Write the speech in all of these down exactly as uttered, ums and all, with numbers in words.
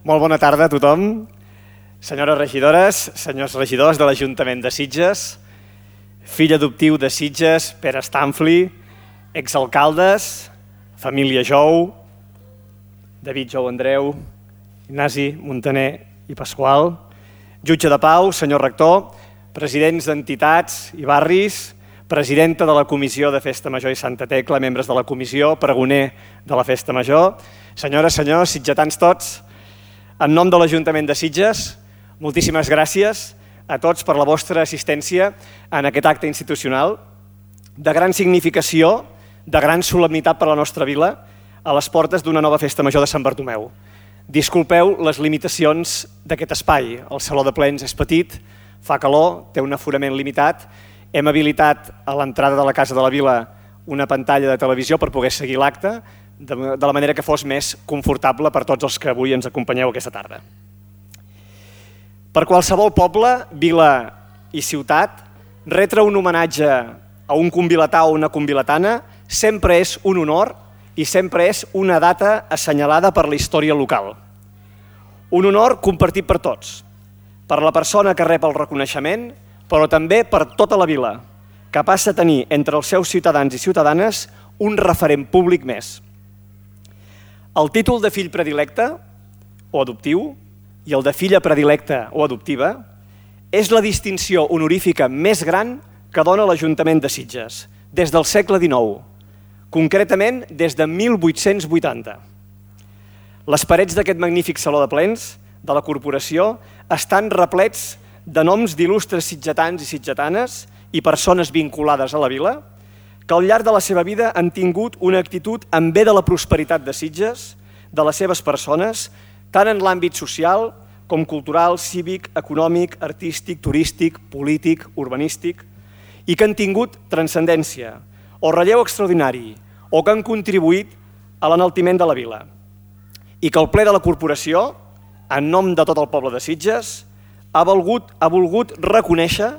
Molt bona tarda a tothom. Senyores regidores, senyors regidors de l'Ajuntament de Sitges, fill adoptiu de Sitges, Pere Stanfli, exalcaldes, família Jou, David Jou Andreu, Ignasi Montaner i Pasqual, jutge de pau, senyor rector, presidents d'entitats i barris, presidenta de la Comissió de Festa Major i Santa Tecla, membres de la Comissió, pregoner de la Festa Major, senyores, senyors, sitgetans tots, en nom de l'Ajuntament de Sitges, moltíssimes gràcies a tots per la vostra assistència en aquest acte institucional de gran significació, de gran solemnitat per a la nostra vila, a les portes d'una nova Festa Major de Sant Bartomeu. Disculpeu les limitacions d'aquest espai. El saló de plens és petit, fa calor, té un aforament limitat. Hem habilitat a l'entrada de la Casa de la Vila una pantalla de televisió per poder seguir l'acte de la manera que fos més confortable per tots els que avui ens acompanyeu aquesta tarda. Per qualsevol poble, vila i ciutat, retre un homenatge a un convilatà o una convilatana sempre és un honor i sempre és una data assenyalada per la història local. Un honor compartit per tots, per la persona que rep el reconeixement, però també per tota la vila, que passa a tenir entre els seus ciutadans i ciutadanes un referent públic més. El títol de fill predilecte o adoptiu i el de filla predilecta o adoptiva és la distinció honorífica més gran que dona l'Ajuntament de Sitges des del segle dinou, concretament des de mil vuit-cents vuitanta. Les parets d'aquest magnífic saló de plens de la corporació estan replets de noms d'il·lustres sitgetans i sitgetanes i persones vinculades a la vila que al llarg de la seva vida han tingut una actitud en bé de la prosperitat de Sitges, de les seves persones, tant en l'àmbit social com cultural, cívic, econòmic, artístic, turístic, polític, urbanístic, i que han tingut transcendència o relleu extraordinari o que han contribuït a l'enaltiment de la vila. I que el ple de la corporació, en nom de tot el poble de Sitges, ha volgut, ha volgut reconèixer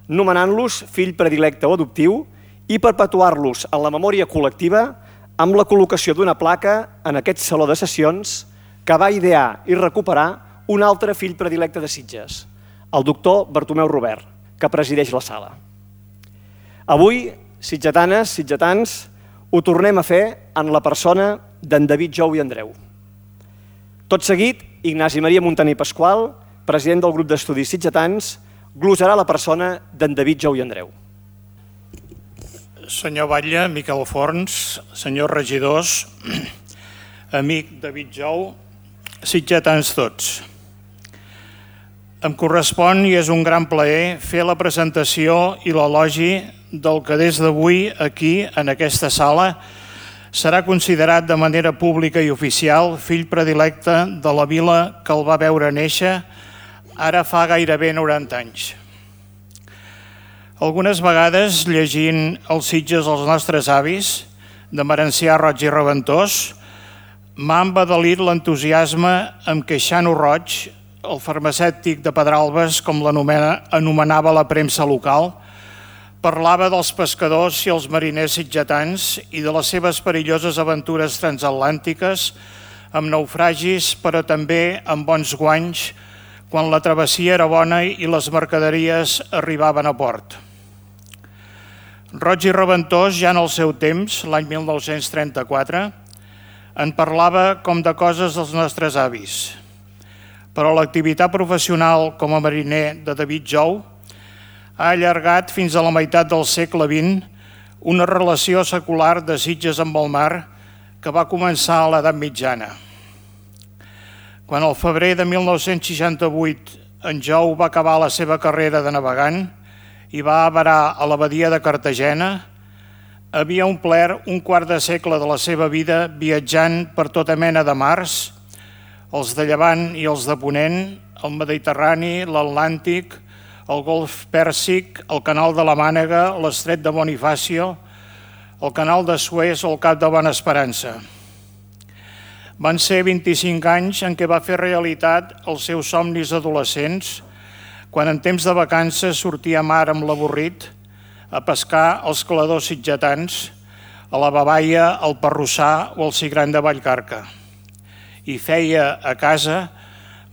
nomenant-los fill predilecte o adoptiu i perpetuar-los en la memòria col·lectiva amb la col·locació d'una placa en aquest saló de sessions que va idear i recuperar un altre fill predilecte de Sitges, el doctor Bartomeu Robert, que presideix la sala. Avui, sitgetanes, sitgetans, ho tornem a fer en la persona d'en David Jou i Andreu. Tot seguit, Ignasi Maria Montaner i Pasqual, president del grup d'estudis sitgetans, glosarà la persona d'en David Jou i Andreu. Senyor Batlle, Miquel Forns, senyors regidors, amic David Jou, sitgetans tots. Em correspon i és un gran plaer fer la presentació i l'elogi del que des d'avui aquí, en aquesta sala, serà considerat de manera pública i oficial fill predilecte de la vila que el va veure néixer ara fa gairebé noranta anys. Algunes vegades, llegint els Sitges dels nostres avis, de Marencià, Roig i Reventós, m'ha embadalit l'entusiasme amb què Xano Roig, el farmacèutic de Pedralbes, com l'anomenava la premsa local, parlava dels pescadors i els mariners sitgetans i de les seves perilloses aventures transatlàntiques amb naufragis, però també amb bons guanys, quan la travessia era bona i les mercaderies arribaven a port. Roig i Reventós, ja en el seu temps, l'any mil nou-cents trenta-quatre, en parlava com de coses dels nostres avis. Però l'activitat professional com a mariner de David Jou ha allargat fins a la meitat del segle vint una relació secular de Sitges amb el mar que va començar a l'edat mitjana. Quan al febrer de mil nou-cents seixanta-vuit en Jou va acabar la seva carrera de navegant i va avarar a la badia de Cartagena, havia omplert un quart de segle de la seva vida viatjant per tota mena de mars, els de Llevant i els de Ponent, el Mediterrani, l'Atlàntic, el Golf Pèrsic, el Canal de la Mànega, l'Estret de Bonifacio, el Canal de Suez o el Cap de Bona Esperança. Van ser vint-i-cinc anys en què va fer realitat els seus somnis adolescents, quan en temps de vacances sortia a mar amb l'avorrit, a pescar els caladors sitgetans, a la Babaia, al Parrossà o al Cigrany de Vallcarca. I feia a casa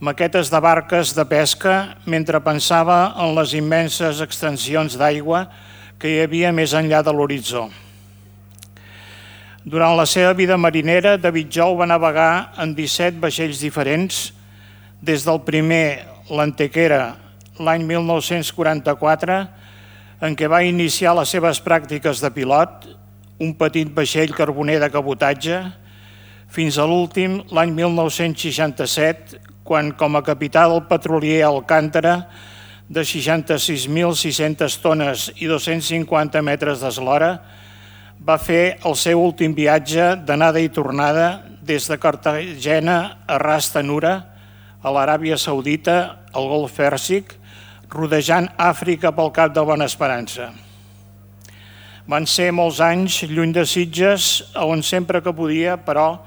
maquetes de barques de pesca mentre pensava en les immenses extensions d'aigua que hi havia més enllà de l'horitzó. Durant la seva vida marinera, David Jou va navegar en disset vaixells diferents, des del primer, l'Antequera, l'any mil nou-cents quaranta-quatre, en què va iniciar les seves pràctiques de pilot, un petit vaixell carboner de cabotatge, fins a l'últim, l'any mil nou-cents seixanta-set, quan, com a capità del petrolier Alcántara, de seixanta-sis mil sis-centes tones i dos-cents cinquanta metres d'eslora, va fer el seu últim viatge d'anada i tornada des de Cartagena a Ras Tanura, a l'Aràbia Saudita, al Golf Pèrsic, rodejant Àfrica pel Cap de Bona Esperança. Van ser molts anys lluny de Sitges, on sempre que podia, però,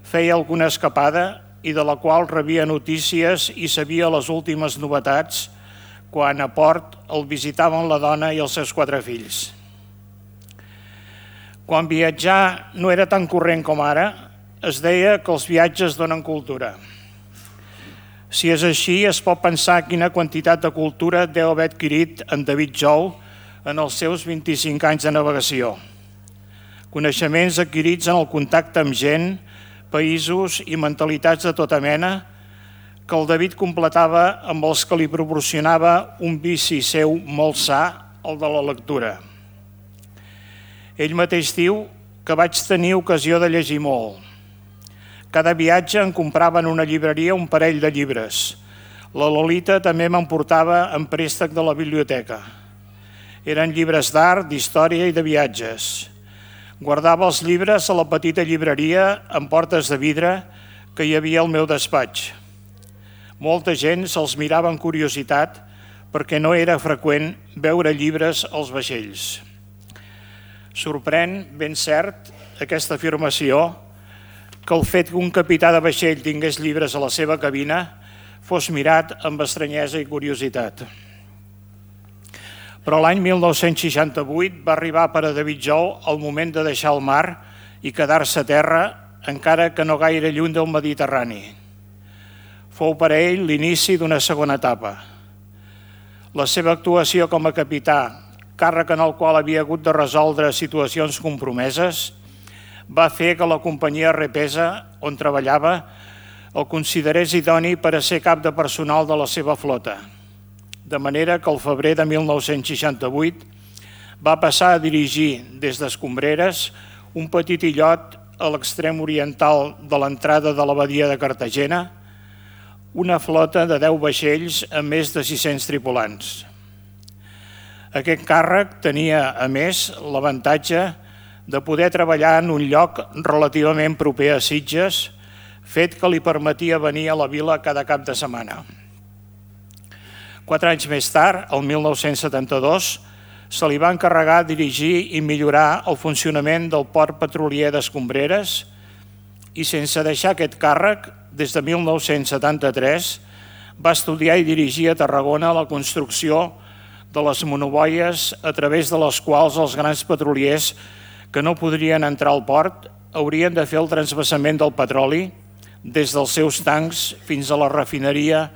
feia alguna escapada i de la qual rebia notícies i sabia les últimes novetats quan a port el visitaven la dona i els seus quatre fills. Quan viatjar no era tan corrent com ara, es deia que els viatges donen cultura. Si és així, es pot pensar quina quantitat de cultura deu haver adquirit en David Jou en els seus vint-i-cinc anys de navegació. Coneixements adquirits en el contacte amb gent, països i mentalitats de tota mena, que el David completava amb els que li proporcionava un vici seu molt sa, el de la lectura. Ell mateix diu que vaig tenir ocasió de llegir molt. Cada viatge em comprava en una llibreria un parell de llibres. La Lolita també m'emportava en préstec de la biblioteca. Eren llibres d'art, d'història i de viatges. Guardava els llibres a la petita llibreria amb portes de vidre que hi havia al meu despatx. Molta gent se'ls mirava amb curiositat perquè no era freqüent veure llibres als vaixells. Sorprèn, ben cert, aquesta afirmació, que el fet que un capità de vaixell tingués llibres a la seva cabina fos mirat amb estranyesa i curiositat. Però l'any mil nou-cents seixanta-vuit va arribar per a David Jou el moment de deixar el mar i quedar-se a terra, encara que no gaire lluny del Mediterrani. Fou per a ell l'inici d'una segona etapa. La seva actuació com a capità, càrrec en el qual havia hagut de resoldre situacions compromeses, va fer que la companyia Repesa, on treballava, el considerés idoni per a ser cap de personal de la seva flota. De manera que al febrer de mil nou-cents seixanta-vuit va passar a dirigir des d'Escombreres un petit illot a l'extrem oriental de l'entrada de la badia de Cartagena, una flota de deu vaixells amb més de sis-cents tripulants. Aquest càrrec tenia, a més, l'avantatge de poder treballar en un lloc relativament proper a Sitges, fet que li permetia venir a la vila cada cap de setmana. Quatre anys més tard, el mil nou-cents setanta-dos, se li va encarregar dirigir i millorar el funcionament del port petrolier d'Escombreres i, sense deixar aquest càrrec, des de mil nou-cents setanta-tres, va estudiar i dirigir a Tarragona la construcció de les monoboies a través de les quals els grans petroliers que no podrien entrar al port haurien de fer el transvasament del petroli des dels seus tancs fins a la refineria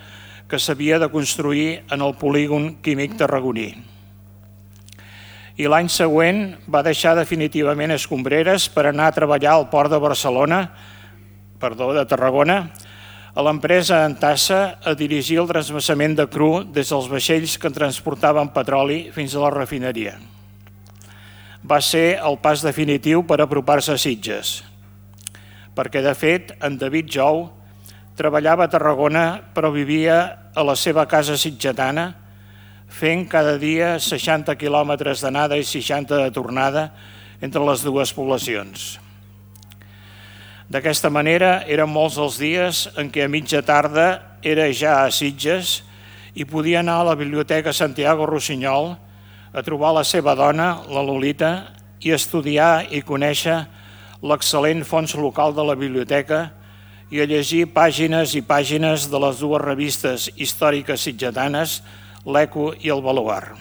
que s'havia de construir en el polígon químic tarragoní. I l'any següent va deixar definitivament Escombreres per anar a treballar al port de Barcelona, perdó, de Tarragona, a l'empresa Antassa a dirigir el transvasament de cru des dels vaixells que transportaven petroli fins a la refineria. Va ser el pas definitiu per apropar-se a Sitges, perquè de fet en David Jou treballava a Tarragona però vivia a la seva casa sitgetana, fent cada dia seixanta quilòmetres d'anada i seixanta de tornada entre les dues poblacions. D'aquesta manera, eren molts els dies en què a mitja tarda era ja a Sitges i podia anar a la Biblioteca Santiago Rossinyol a trobar la seva dona, la Lolita, i estudiar i conèixer l'excel·lent fons local de la biblioteca i a llegir pàgines i pàgines de les dues revistes històriques sitgetanes, l'Eco i el Baluard.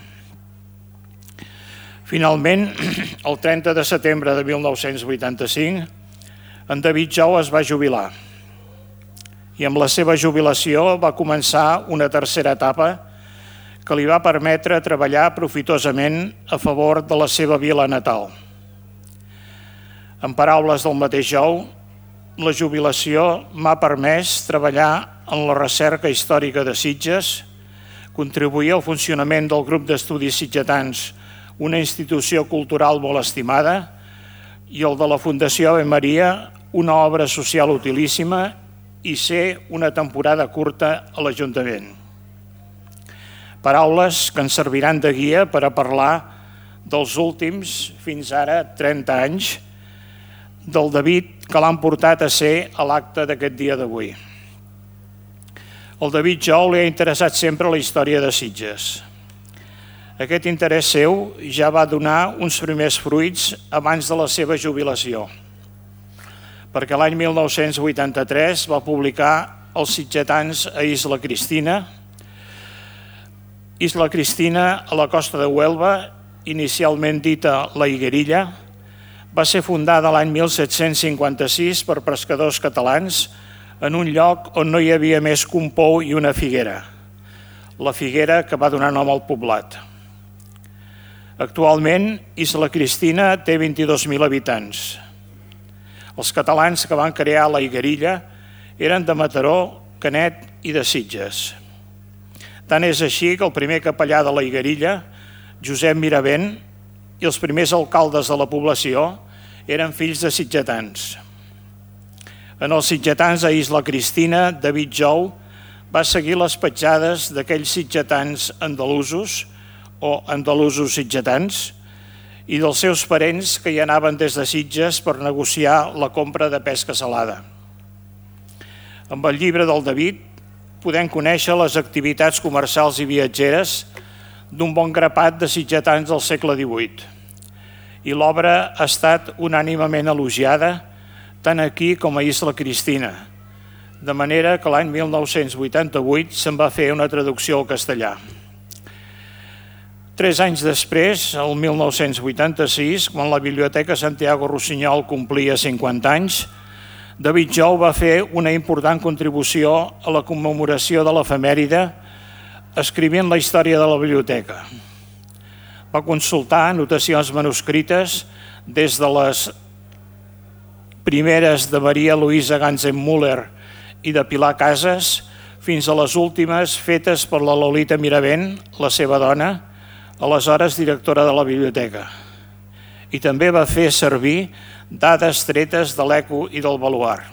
Finalment, el trenta de setembre de mil nou-cents vuitanta-cinc, en David Jou es va jubilar i amb la seva jubilació va començar una tercera etapa que li va permetre treballar profitosament a favor de la seva vila natal. En paraules del mateix Jou, la jubilació m'ha permès treballar en la recerca històrica de Sitges, contribuir al funcionament del grup d'estudis sitgetans, una institució cultural molt estimada, i el de la Fundació Ave Maria, una obra social utilíssima, i ser una temporada curta a l'Ajuntament. Paraules que ens serviran de guia per a parlar dels últims, fins ara, trenta anys, del David que l'han portat a ser a l'acte d'aquest dia d'avui. El David Jou li ha interessat sempre la història de Sitges. Aquest interès seu ja va donar uns primers fruits abans de la seva jubilació, perquè l'any mil nou-cents vuitanta-tres va publicar Els sitgetans a Isla Cristina. Isla Cristina, a la costa de Huelva, inicialment dita la Higuerilla, va ser fundada l'any mil set-cents cinquanta-sis per pescadors catalans en un lloc on no hi havia més que un pou i una figuera, la figuera que va donar nom al poblat. Actualment, Isla Cristina té vint-i-dos mil habitants. Els catalans que van crear la Higuerilla eren de Mataró, Canet i de Sitges. Tant és així que el primer capellà de la Higuerilla, Josep Miravent, i els primers alcaldes de la població eren fills de sitgetans. En els sitgetans a Isla Cristina, David Jou va seguir les petjades d'aquells sitgetans andalusos o andalusos sitgetans i dels seus parents que hi anaven des de Sitges per negociar la compra de pesca salada. Amb el llibre del David podem conèixer les activitats comercials i viatgeres d'un bon grapat de sitgetans del segle divuit. I l'obra ha estat unànimement elogiada tant aquí com a Isla Cristina, de manera que l'any mil nou-cents vuitanta-vuit se'n va fer una traducció al castellà. Tres anys després, el mil nou-cents vuitanta-sis, quan la Biblioteca Santiago Rossinyol complia cinquanta anys, David Jou va fer una important contribució a la commemoració de l'efemèride escrivint la història de la biblioteca. Va consultar anotacions manuscrites des de les primeres de Maria Luisa Ganzenmüller i de Pilar Casas fins a les últimes fetes per la Lolita Miravent, la seva dona, aleshores directora de la biblioteca. I també va fer servir dades tretes de l'Eco i del Baluard.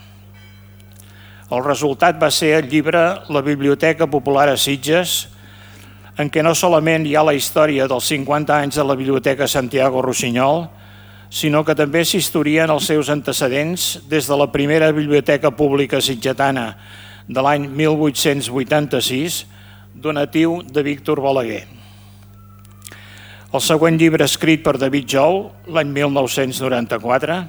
El resultat va ser el llibre La Biblioteca Popular a Sitges, en què no solament hi ha la història dels cinquanta anys de la Biblioteca Santiago Rossinyol, sinó que també s'historien els seus antecedents des de la primera biblioteca pública sitgetana de l'any mil vuit-cents vuitanta-sis, donatiu de Víctor Balaguer. El següent llibre escrit per David Jou, l'any mil nou-cents noranta-quatre,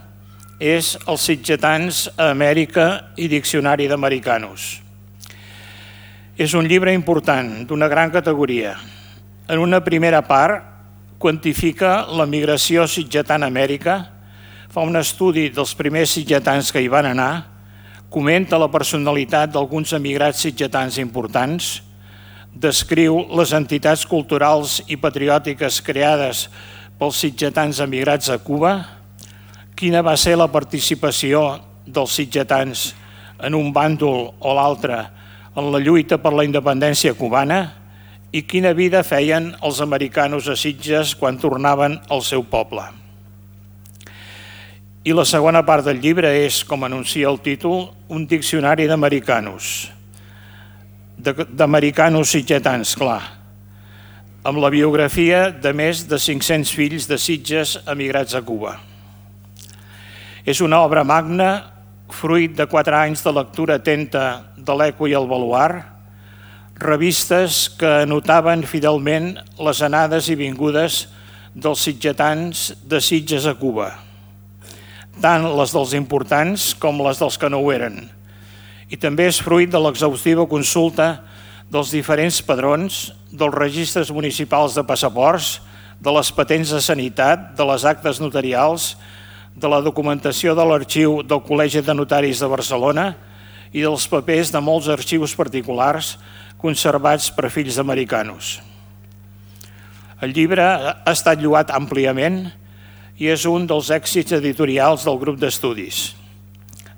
és Els sitgetans a Amèrica i Diccionari d'Americanos. És un llibre important, d'una gran categoria. En una primera part, quantifica la migració sitgetana a Amèrica, fa un estudi dels primers sitgetans que hi van anar, comenta la personalitat d'alguns emigrats sitgetans importants, descriu les entitats culturals i patriòtiques creades pels sitgetans emigrats a Cuba, quina va ser la participació dels sitgetans en un bàndol o l'altre en la lluita per la independència cubana i quina vida feien els americanos a Sitges quan tornaven al seu poble. I la segona part del llibre és, com anuncia el títol, un diccionari d'americanos, d'americanos sitgetans, clar, amb la biografia de més de cinc-cents fills de Sitges emigrats a Cuba. És una obra magna, fruit de quatre anys de lectura atenta de l'Eco i el Baluard, revistes que anotaven fidelment les anades i vingudes dels sitgetans de Sitges a Cuba, tant les dels importants com les dels que no ho eren. I també és fruit de l'exhaustiva consulta dels diferents padrons, dels registres municipals de passaports, de les patents de sanitat, de les actes notarials, de la documentació de l'arxiu del Col·legi de Notaris de Barcelona i dels papers de molts arxius particulars conservats per fills americanos. El llibre ha estat lloat àmpliament i és un dels èxits editorials del grup d'estudis,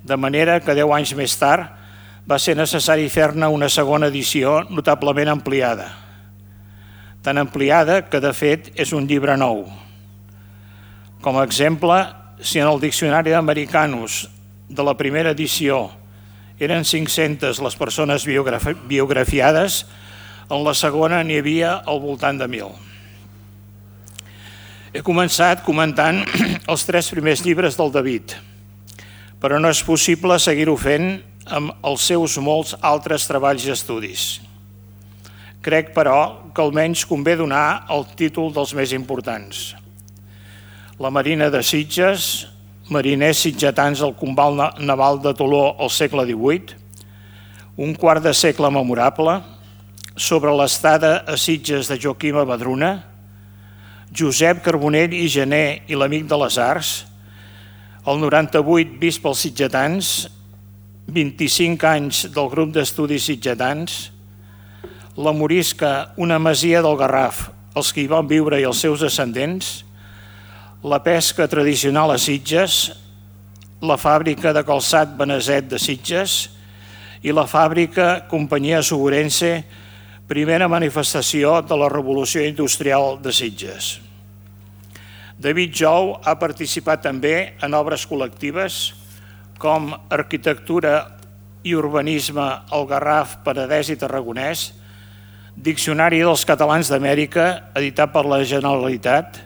de manera que deu anys més tard va ser necessari fer-ne una segona edició notablement ampliada. Tan ampliada que, de fet, és un llibre nou. Com a exemple, si en el Diccionari d'Americanos de la primera edició eren cinc-centes les persones biografiades, en la segona n'hi havia al voltant de mil. He començat comentant els tres primers llibres del David, però no és possible seguir-ho fent amb els seus molts altres treballs i estudis. Crec, però, que almenys convé donar el títol dels més importants. La Marina de Sitges, mariners sitgetans al Combal Naval de Toló al segle divuit, un quart de segle memorable, sobre l'estada a Sitges de Joaquim Abadruna, Josep Carbonell i Gené i l'Amic de les Arts, el noranta-vuit vist pels sitgetans, vint-i-cinc anys del grup d'estudis sitgetans, la Morisca, una masia del Garraf, els que hi van viure i els seus descendents, la pesca tradicional a Sitges, la fàbrica de calçat Beneset de Sitges i la fàbrica Companyia Segurense, primera manifestació de la Revolució Industrial de Sitges. David Jou ha participat també en obres col·lectives com Arquitectura i Urbanisme al Garraf, Penedès i Tarragonès, Diccionari dels Catalans d'Amèrica, editat per la Generalitat,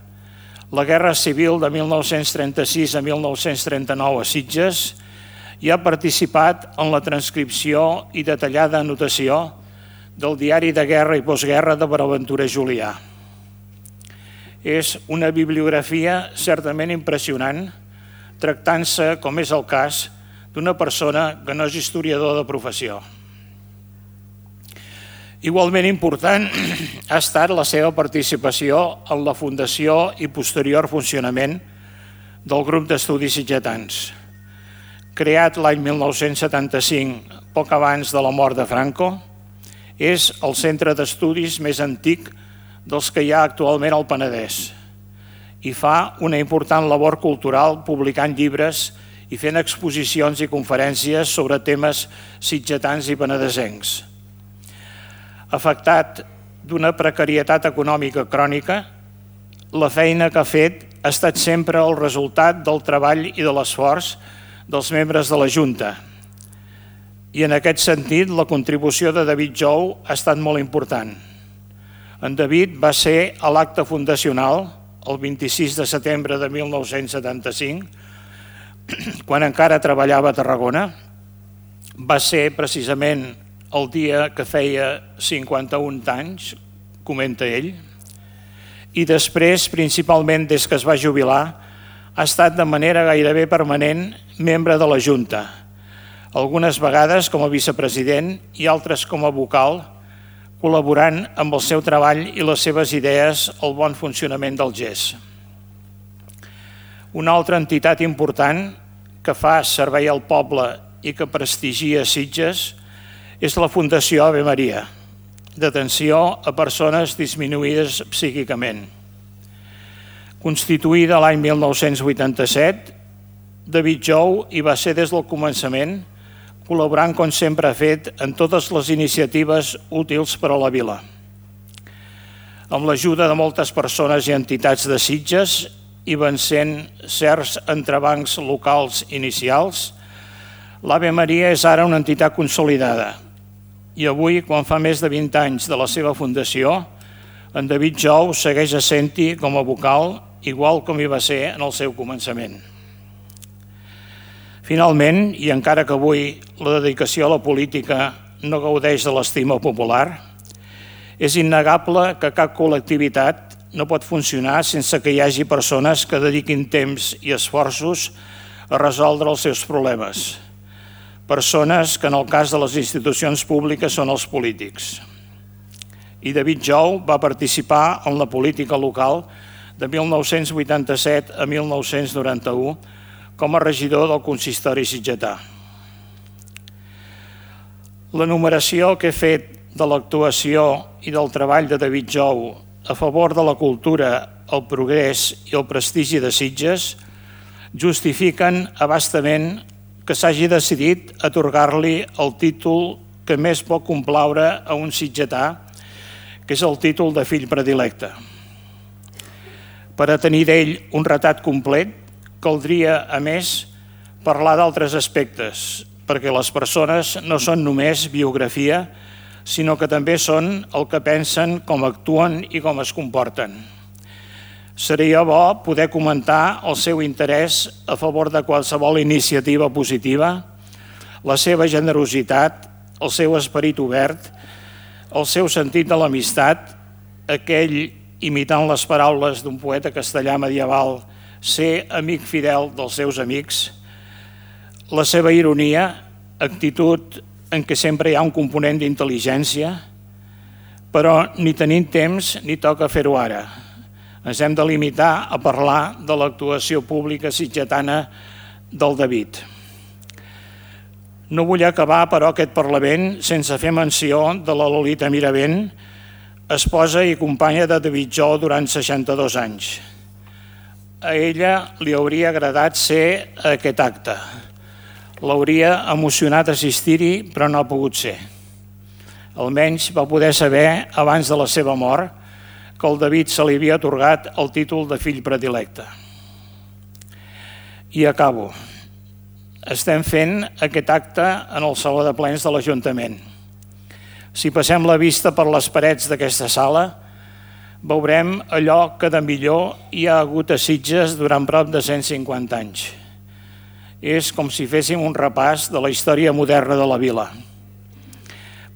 la Guerra Civil de mil nou-cents trenta-sis a mil nou-cents trenta-nou a Sitges, i ha participat en la transcripció i detallada anotació del diari de guerra i postguerra de Bonaventura Julià. És una bibliografia certament impressionant, tractant-se, com és el cas, d'una persona que no és historiador de professió. Igualment important ha estat la seva participació en la fundació i posterior funcionament del grup d'estudis sitgetans. Creat l'any mil nou-cents setanta-cinc, poc abans de la mort de Franco, és el centre d'estudis més antic dels que hi ha actualment al Penedès i fa una important labor cultural publicant llibres i fent exposicions i conferències sobre temes sitgetans i penedesencs. Afectat d'una precarietat econòmica crònica, la feina que ha fet ha estat sempre el resultat del treball i de l'esforç dels membres de la Junta. I en aquest sentit, la contribució de David Jou ha estat molt important. En David va ser a l'acte fundacional, el vint-i-sis de setembre de mil nou-cents setanta-cinc, quan encara treballava a Tarragona. Va ser precisament el dia que feia cinquanta-un anys, comenta ell, i després, principalment des que es va jubilar, ha estat de manera gairebé permanent membre de la Junta, algunes vegades com a vicepresident i altres com a vocal, col·laborant amb el seu treball i les seves idees al bon funcionament del G E S. Una altra entitat important que fa servei al poble i que prestigia Sitges és la Fundació Ave Maria, d'atenció a persones disminuïdes psíquicament. Constituïda l'any mil nou-cents vuitanta-set, David Jou hi va ser des del començament, col·laborant, com sempre ha fet, en totes les iniciatives útils per a la vila. Amb l'ajuda de moltes persones i entitats de Sitges i vencent certs entrebancs locals inicials, l'Ave Maria és ara una entitat consolidada i avui, quan fa més de vint anys de la seva fundació, en David Jou segueix essent-hi com a vocal, igual com hi va ser en el seu començament. Finalment, i encara que avui la dedicació a la política no gaudeix de l'estima popular, és innegable que cap col·lectivitat no pot funcionar sense que hi hagi persones que dediquin temps i esforços a resoldre els seus problemes. Persones que en el cas de les institucions públiques són els polítics. I David Jou va participar en la política local de mil nou-cents vuitanta-set a mil nou-cents noranta-u com a regidor del consistori sitgetà. L'enumeració que he fet de l'actuació i del treball de David Jou a favor de la cultura, el progrés i el prestigi de Sitges justifiquen abastament que s'hagi decidit atorgar-li el títol que més pot complaure a un sitgetà, que és el títol de fill predilecte. Per a tenir d'ell un retrat complet, caldria, a més, parlar d'altres aspectes, perquè les persones no són només biografia, sinó que també són el que pensen, com actuen i com es comporten. Seria bo poder comentar el seu interès a favor de qualsevol iniciativa positiva, la seva generositat, el seu esperit obert, el seu sentit de l'amistat, aquell, imitant les paraules d'un poeta castellà medieval, ser amic fidel dels seus amics, la seva ironia, actitud en què sempre hi ha un component d'intel·ligència, però ni tenim temps ni toca fer-ho ara. Ens hem de limitar a parlar de l'actuació pública sitgetana del David. No vull acabar, però, aquest Parlament sense fer menció de la Lolita Miravent, esposa i companya de David Jou durant seixanta-dos anys. A ella li hauria agradat ser a aquest acte. L'hauria emocionat assistir-hi, però no ha pogut ser. Almenys va poder saber, abans de la seva mort, que el David se li havia atorgat el títol de fill predilecte. I acabo. Estem fent aquest acte en el Saló de Plens de l'Ajuntament. Si passem la vista per les parets d'aquesta sala, veurem allò que de millor hi ha hagut a Sitges durant prop de cent cinquanta anys. És com si féssim un repàs de la història moderna de la vila.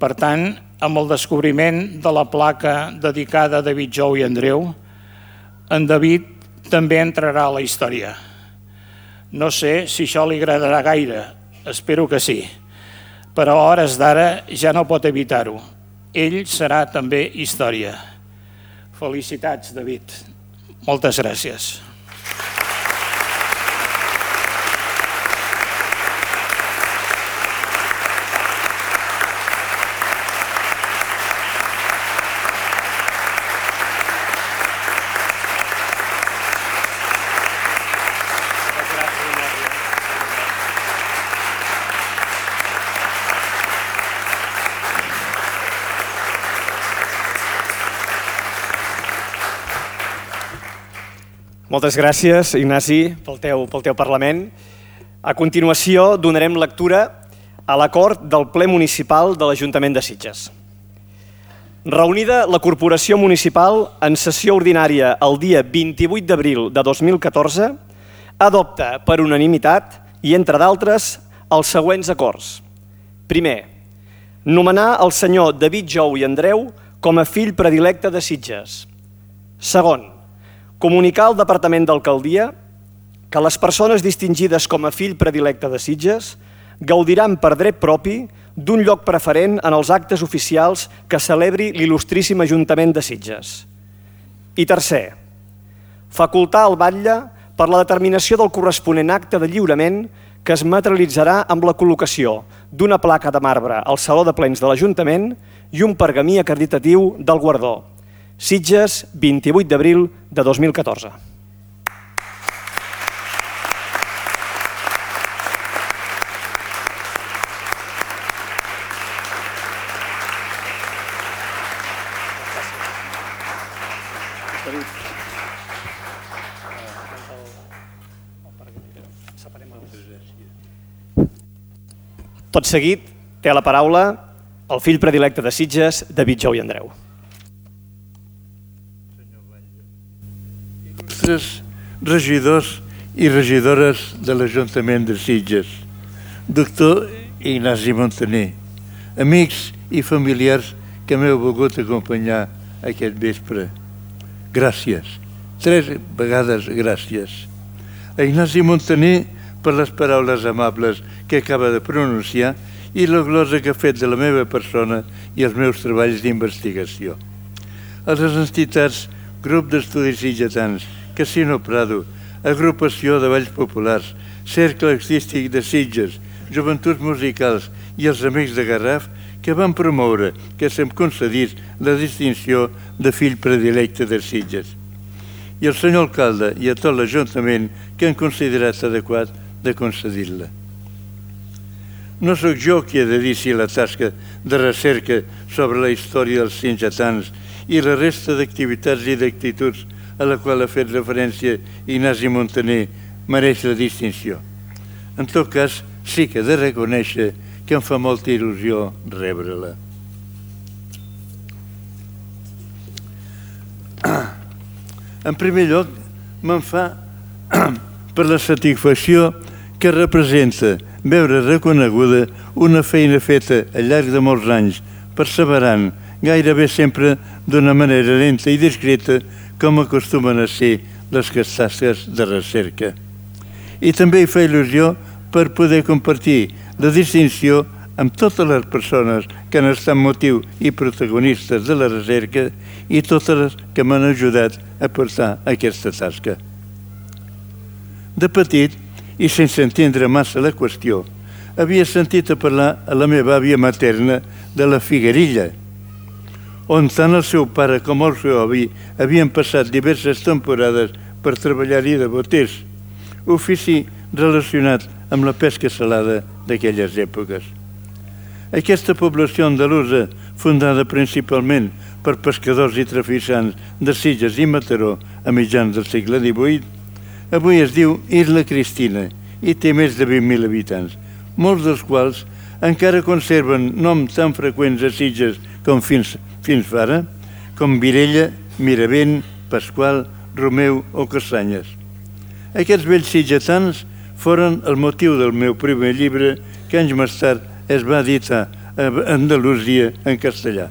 Per tant, amb el descobriment de la placa dedicada a David Jou i Andreu, en David també entrarà a la història. No sé si això li agradarà gaire, espero que sí, però a hores d'ara ja no pot evitar-ho. Ell serà també història. Felicitats, David. Moltes gràcies. Moltes gràcies, Ignasi, pel teu, pel teu Parlament. A continuació, donarem lectura a l'acord del ple municipal de l'Ajuntament de Sitges. Reunida la Corporació Municipal en sessió ordinària el dia vint-i-vuit d'abril de dos mil catorze, adopta per unanimitat i, entre d'altres, els següents acords. Primer, nomenar el senyor David Jou i Andreu com a fill predilecte de Sitges. Segon, comunicar al Departament d'Alcaldia que les persones distingides com a fill predilecte de Sitges gaudiran per dret propi d'un lloc preferent en els actes oficials que celebri l'il·lustríssim Ajuntament de Sitges. I tercer, facultar el batlle per la determinació del corresponent acte de lliurament que es materialitzarà amb la col·locació d'una placa de marbre al Saló de Plens de l'Ajuntament i un pergamí acreditatiu del guardó. Sitges, vint-i-vuit d'abril de dos mil catorze. Tot seguit, té la paraula el fill predilecte de Sitges, David Jou i Andreu. Regidors i regidores de l'Ajuntament de Sitges, doctor Ignasi Montaner, amics i familiars que m'heu volgut acompanyar aquest vespre. Gràcies, tres vegades gràcies. A Ignasi Montaner per les paraules amables que acaba de pronunciar i la glosa que ha fet de la meva persona i els meus treballs d'investigació. A les entitats Grup d'Estudis Sitgetans, Casino Prado, Agrupació de Balls Populars, Cercle Artístic de Sitges, Joventuts Musicals i els Amics de Garraf, que van promoure que se'm concedís la distinció de fill predilecte de Sitges, i al senyor alcalde i a tot l'Ajuntament que han considerat adequat de concedir-la. No sóc jo qui he de dir si la tasca de recerca sobre la història dels sitgetans i la resta d'activitats i d'actituds a la qual ha fet referència Ignasi Montaner mereix la distinció. En tot cas, sí que he de reconèixer que em fa molta il·lusió rebre-la. En primer lloc, me'n fa per la satisfacció que representa veure reconeguda una feina feta al llarg de molts anys, perseverant, gairebé sempre d'una manera lenta i discreta, com acostumen a ser les tasques de recerca. I també hi fa il·lusió per poder compartir la distinció amb totes les persones que han estat motiu i protagonistes de la recerca i totes les que m'han ajudat a portar aquesta tasca. De petit, i sense entendre massa la qüestió, havia sentit a parlar a la meva àvia materna de la Figuerilla, on tant el seu pare com el seu avi havien passat diverses temporades per treballar-hi de boters, ofici relacionat amb la pesca salada d'aquelles èpoques. Aquesta població andalusa, fundada principalment per pescadors i traficants de Sitges i Mataró a mitjans del segle divuit, avui es diu Isla Cristina i té més de vint mil habitants, molts dels quals encara conserven noms tan freqüents a Sitges com fins, fins ara, com Virella, Miravent, Pasqual, Romeu o Castanyes. Aquests vells sitgetans foren el motiu del meu primer llibre que anys més tard es va editar a Andalusia en castellà.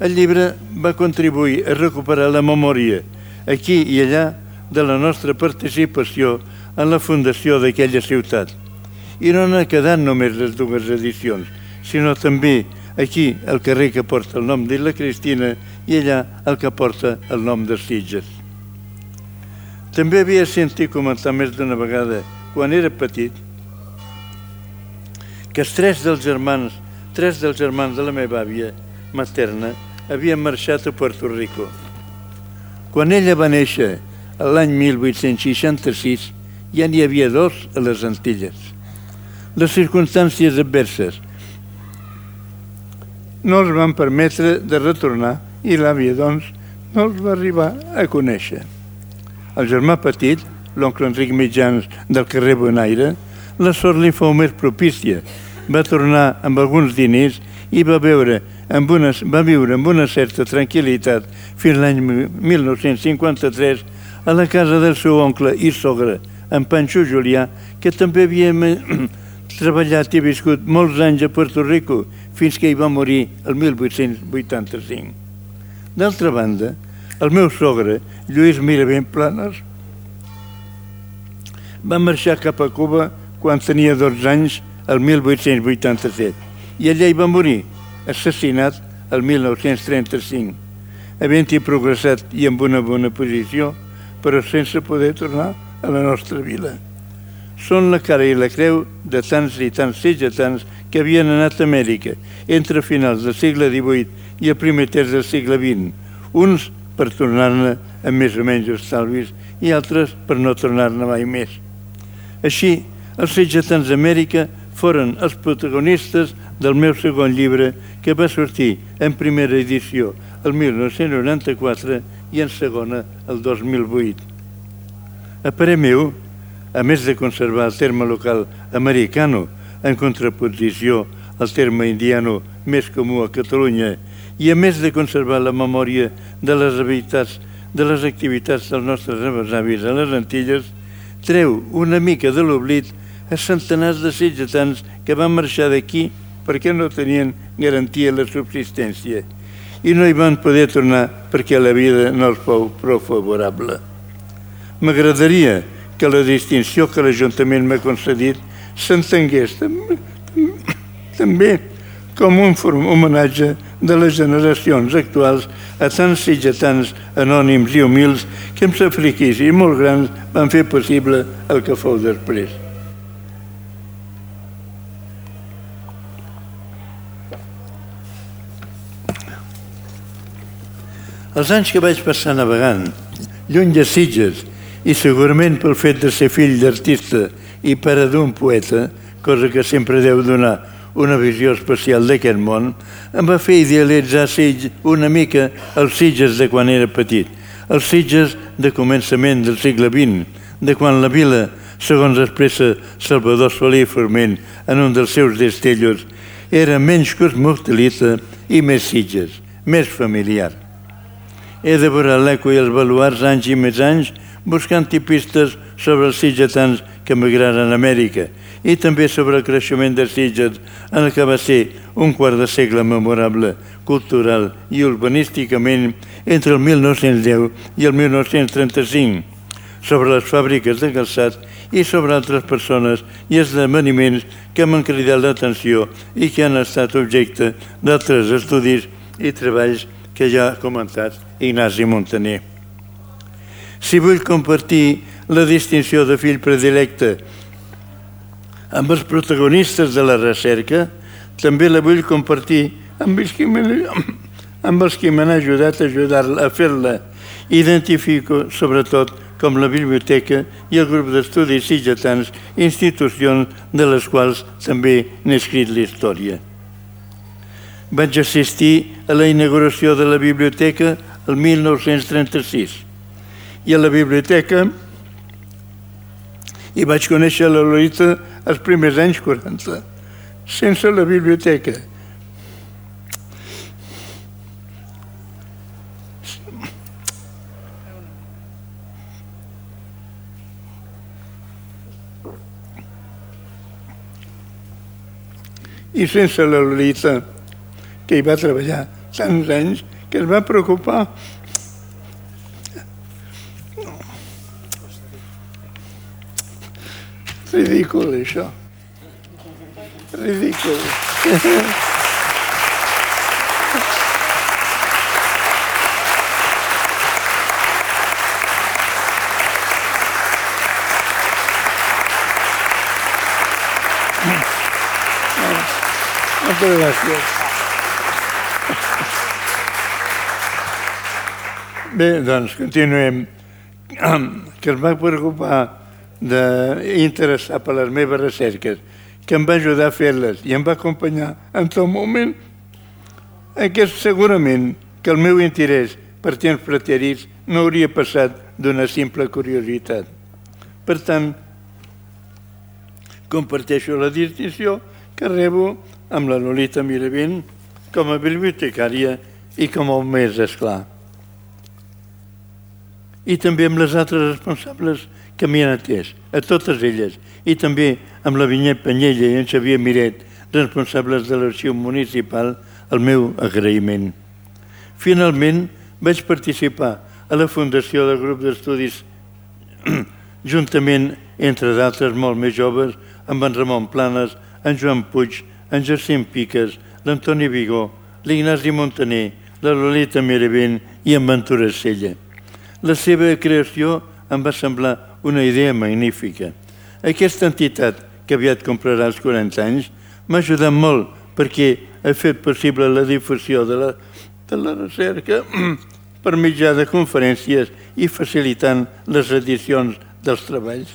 El llibre va contribuir a recuperar la memòria, aquí i allà, de la nostra participació en la fundació d'aquella ciutat. I no n'ha quedat només les dues edicions, sinó també aquí el carrer que porta el nom d'Isla Cristina i allà el que porta el nom de Sitges. També havia sentit comentar més d'una vegada, quan era petit, que els tres dels germans, tres dels germans de la meva àvia materna havien marxat a Puerto Rico. Quan ella va néixer, l'any mil vuit-cents seixanta-sis, ja n'hi havia dos a les Antilles. Les circumstàncies adverses no els van permetre de retornar i l'àvia, doncs, no els va arribar a conèixer. El germà petit, l'oncle Enric Mitjans del carrer Bonaire, la sort li fou més propícia. Va tornar amb alguns diners i va viure amb una, va viure amb una certa tranquil·litat fins l'any mil nou-cents cinquanta-tres a la casa del seu oncle i sogre, en Panxo Julià, que també havia treballat i viscut molts anys a Puerto Rico fins que hi va morir el mil vuit-cents vuitanta-cinc. D'altra banda, el meu sogre, Lluís Miravent Planes, va marxar cap a Cuba quan tenia dotze anys, el mil vuit-cents vuitanta-set, i allà hi va morir, assassinat el mil nou-cents trenta-cinc, havent-hi progressat i amb una bona posició, però sense poder tornar a la nostra vila. Són la cara i la creu de tants i tants sitgetans que havien anat a Amèrica entre finals del segle divuit i el primer terç del segle vint, uns per tornar-ne amb més o menys estalvis i altres per no tornar-ne mai més. Així, els sitgetans d'Amèrica foren els protagonistes del meu segon llibre, que va sortir en primera edició el mil nou-cents noranta-quatre i en segona el dos mil vuit. A parer meu, a més de conservar el terme local americano en contraposició al terme indiano més comú a Catalunya i a més de conservar la memòria de les activitats, de les activitats dels nostres avis a les Antilles, treu una mica de l'oblit a centenars de sitgetans que van marxar d'aquí perquè no tenien garantia la subsistència i no hi van poder tornar perquè la vida no els fou prou favorable. M'agradaria que la distinció que l'Ajuntament m'ha concedit s'entengués també com un homenatge de les generacions actuals a tants sitgetans anònims i humils que amb sacrificis molt grans van fer possible el que fou després. Els anys que vaig passar navegant, lluny de Sitges, i segurament pel fet de ser fill d'artista i pare d'un poeta, cosa que sempre deu donar una visió especial d'aquest món, em va fer idealitzar una mica els Sitges de quan era petit, els Sitges de començament del segle vint, de quan la vila, segons expressa Salvador Soler i Forment en un dels seus destellos, era menys cosmopolita i més Sitges, més familiar. He devorat l'eco i els baluars anys i més anys buscant tipistes sobre els sitgetans que emigraren a Amèrica i també sobre el creixement de Sitges en el que va ser un quart de segle memorable, cultural i urbanísticament entre el mil nou-cents deu i el mil nou-cents trenta-cinc, sobre les fàbriques de calçat i sobre altres persones i esdeveniments que m'han cridat l'atenció i que han estat objecte d'altres estudis i treballs que ja ha comentat Ignasi Muntaner. Si vull compartir la distinció de fill predilecte amb els protagonistes de la recerca, també la vull compartir amb els que m'han ajudat a ajudar-la a fer-la. Identifico, sobretot, com la biblioteca i el grup d'estudis sitgetans, institucions de les quals també n'he escrit la història. Vaig assistir a la inauguració de la biblioteca el mil nou-cents trenta-sis i a la biblioteca i vaig conèixer la Lolita els primers anys quaranta. Sense la biblioteca i sense la Lolita, que hi va treballar tants anys, que es va preocupar. Ridícul, això. Ridícul. Moltes gràcies. Bé, doncs, continuem. Que es va preocupar d'interessar per les meves recerques, que em va ajudar a fer-les i em va acompanyar en tot moment, aquest segurament que el meu interès per temps preterits no hauria passat d'una simple curiositat. Per tant, comparteixo la distinció que rebo amb la Lolita Miravent com a bibliotecària i com a més esclar. I també amb les altres responsables que m'hi han atès, a totes elles, i també amb la Vinyet Panyella i en Xavier Miret, responsables de l'arxiu municipal, el meu agraïment. Finalment, vaig participar a la fundació del grup d'estudis juntament, entre d'altres molt més joves, amb en Ramon Planes, en Joan Puig, en Jacint Piques, l'Antoni Vigó, l'Ignasi Muntaner, la Lolita Miravent i en Ventura Sella. La seva creació em va semblar una idea magnífica. Aquesta entitat, que aviat comprarà els quaranta anys, m'ha ajudat molt perquè ha fet possible la difusió de la, de la recerca per mitjà de conferències i facilitant les edicions dels treballs.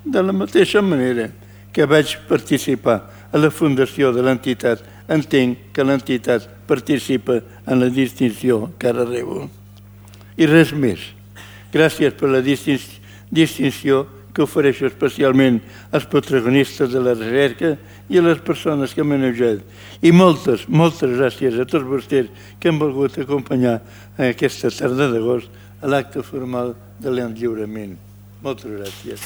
De la mateixa manera que vaig participar a la fundació de l'entitat, entenc que l'entitat participa en la distinció que ara rebo. I res més. Gràcies per la distinció que ofereixo especialment als protagonistes de la recerca i a les persones que m'han ajut. I moltes, moltes gràcies a tots vostès que han volgut acompanyar aquesta tarda d'agost a l'acte formal de l'enlliurament. Moltes gràcies.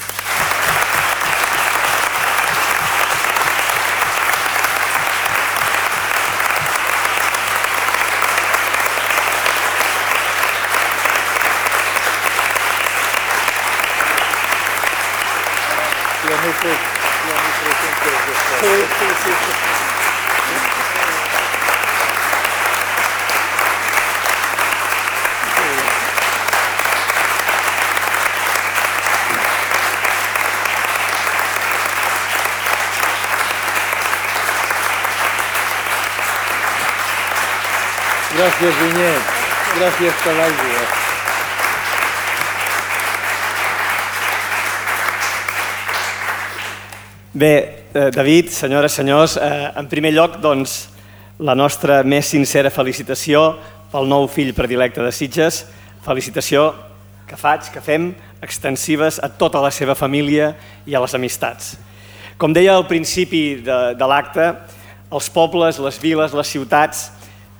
Gràcies, Vinyet. Gràcies per l'aigua. Bé, eh, David, senyores, senyors, eh, en primer lloc, doncs, la nostra més sincera felicitació pel nou fill predilecte de Sitges, felicitació que faig, que fem, extensives a tota la seva família i a les amistats. Com deia al principi de, de l'acte, els pobles, les viles, les ciutats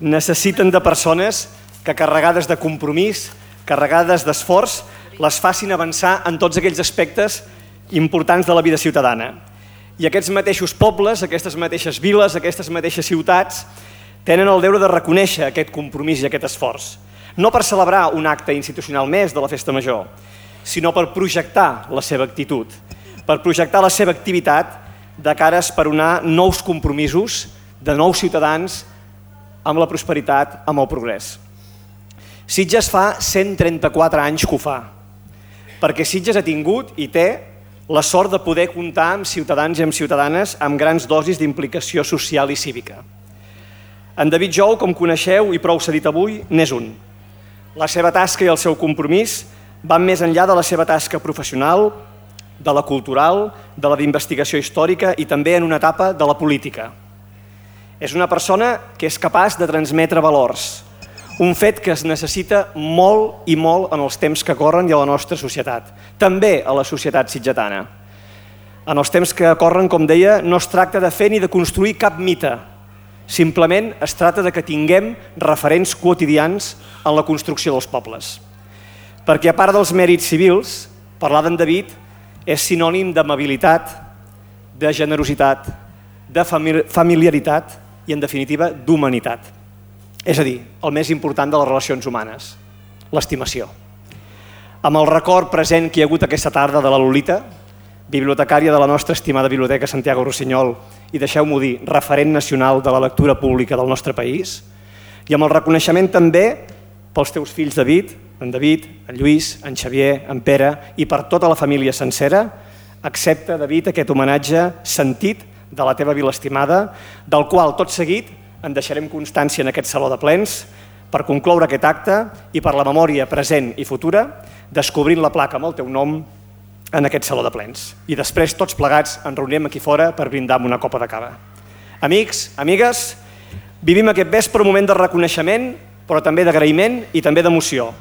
necessiten de persones que, carregades de compromís, carregades d'esforç, les facin avançar en tots aquells aspectes importants de la vida ciutadana. I aquests mateixos pobles, aquestes mateixes viles, aquestes mateixes ciutats tenen el deure de reconèixer aquest compromís i aquest esforç. No per celebrar un acte institucional més de la Festa Major, sinó per projectar la seva actitud, per projectar la seva activitat de cara a esperonar nous compromisos de nous ciutadans amb la prosperitat, amb el progrés. Sitges fa cent trenta-quatre anys que ho fa, perquè Sitges ha tingut i té la sort de poder comptar amb ciutadans i amb ciutadanes amb grans dosis d'implicació social i cívica. En David Jou, com coneixeu i prou s'ha dit avui, n'és un. La seva tasca i el seu compromís van més enllà de la seva tasca professional, de la cultural, de la d'investigació històrica i també en una etapa de la política. És una persona que és capaç de transmetre valors, un fet que es necessita molt i molt en els temps que corren i a la nostra societat, també a la societat sitgetana. En els temps que corren, com deia, no es tracta de fer ni de construir cap mite, simplement es tracta de que tinguem referents quotidians en la construcció dels pobles. Perquè a part dels mèrits civils, parlar d'en David és sinònim d'amabilitat, de generositat, de familiaritat i, en definitiva, d'humanitat. És a dir, el més important de les relacions humanes, l'estimació. Amb el record present que hi ha hagut aquesta tarda de la Lolita, bibliotecària de la nostra estimada Biblioteca Santiago Rossinyol i, deixeu-m'ho dir, referent nacional de la lectura pública del nostre país, i amb el reconeixement també pels teus fills David, en David, en Lluís, en Xavier, en Pere i per tota la família sencera, accepta, David, aquest homenatge sentit de la teva vila estimada, del qual tot seguit en deixarem constància en aquest saló de plens per concloure aquest acte i per la memòria present i futura, descobrint la placa amb el teu nom en aquest saló de plens. I després, tots plegats, ens reunirem aquí fora per brindar amb una copa de cava. Amics, amigues, vivim aquest vespre un moment de reconeixement, però també d'agraïment i també d'emoció.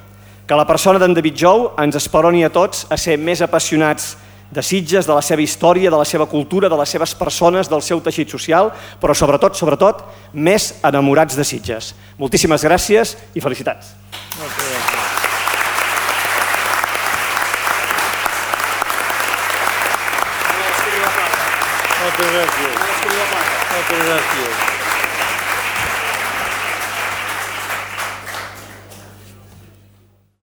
Que la persona d'en David Jou ens esperoni a tots a ser més apassionats de Sitges, de la seva història, de la seva cultura, de les seves persones, del seu teixit social, però sobretot, sobretot, més enamorats de Sitges. Moltíssimes gràcies i felicitats. Moltes gràcies. Moltes gràcies. Moltes gràcies.